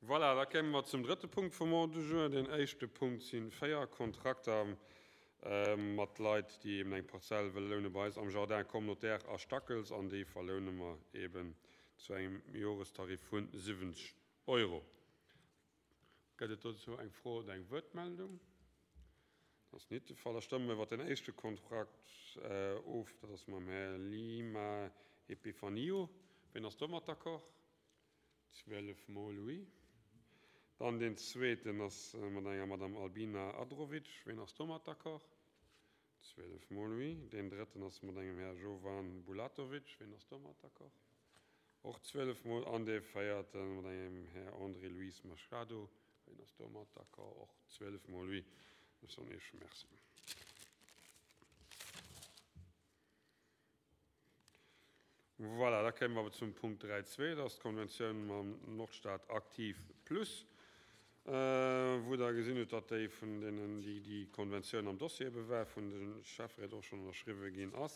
Voilà, da kéime mer zum drëtte Punkt vum Ordre du jour. Deen éischte Punkt si véier Kontrakter mat Leit, déi eben eng Parzell wëlle loune bei eis am Jardin communautaire a Stackels, an déi verloune mer eben zu engem Jorestarif vu 70 Euro. Gëtt et dozou eng Fro oder eng Wuertmeldung? Dat ass nit de Fall. Da stëmme mer iwwert den éischte Kontrakt of. Dat ass mam Här Lima Epifanio. Wien ass domat d'accord? 12 mol oui. Dann deen zweeten ass mat enger Madame Albina Adrovic. Wien ass domat d'accord? 12 mol oui. Deen drëtten ass mat engem Här Jovan Bulatovic. Wien ass domat d'accord? Och 12 mol. An dee véierte mat engem Här André Luis Machado. Wien ass domat d'accord? Och 12 mol oui. Ech soen Iech Merci. Voilà, da kéime mer awer zum Punkt 3.2, dat ass d'Konventioun mam Nordstad Aktiv Plus, wou Der gesinn hutt, datt déi vun deenen, déi déi Konventioun am Dossier ebe war, vun de Schäfferéit och schonn ënnerschriwwe ginn ass,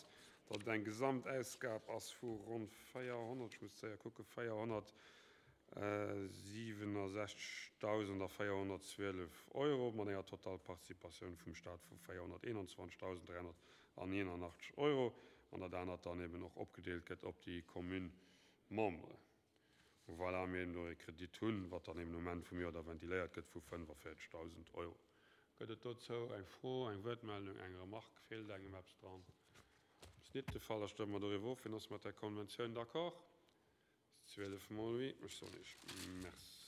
datt et eng Gesamtausgab ass vu ronn 400, ech muss séier kucken, 467.412 Euro mat enger Totalparticipatioun vum Stat vu 421.381 Euro. an dat anert dann eben och opgedeelt gëtt op déi Commune-Memberen. Voilà, mir eben do e Kredit hunn, wat dann eben um Enn vum Joer da ventiléiert gëtt vu 45.000 Euro. Gëtt et dozou eng Fro, eng Wuertmeldung, eng Remarque? Feelt engem eppes dran? Ass nit de Fall, da stëmme mer doriwwer of. Wien ass mat där Konventioun d'accord? 12 mol oui. Ech soen Iech Merci.